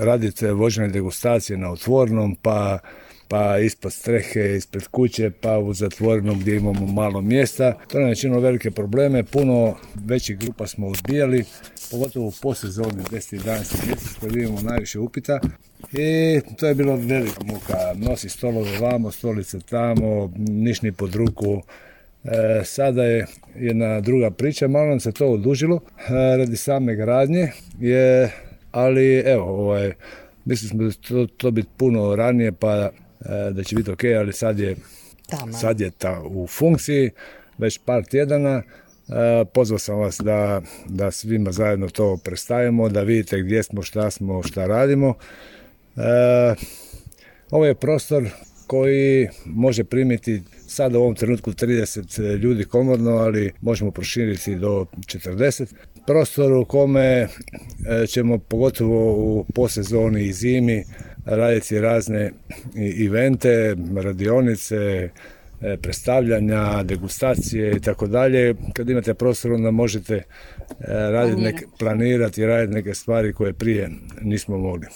raditi vođene degustacije na otvorenom, pa ispod strehe, ispred kuće, pa u zatvorenom gdje imamo malo mjesta. To nam je činilo velike probleme, puno većih grupa smo odbijali, pogotovo u posezoni 10. i 11. mjesec kad imamo najviše upita. I to je bilo velika muka, nosi stolove vamo, stolice tamo, nišni pod ruku. Sada je jedna druga priča, malo nam se to odužilo radi same gradnje, ali evo, mislili smo da će to biti puno ranije, pa da će biti ok, ali sad je u funkciji već par tjedana. Pozvao sam vas da svima zajedno to predstavimo, da vidite gdje smo, šta radimo. Ovo je prostor koji može primiti sad u ovom trenutku 30 ljudi komodno, ali možemo proširiti do 40. Prostor u kome ćemo pogotovo u posezoni i zimi raditi razne evente, radionice, predstavljanja, degustacije i tako dalje. Kad imate prostor, onda možete planirati i raditi neke stvari koje prije nismo mogli.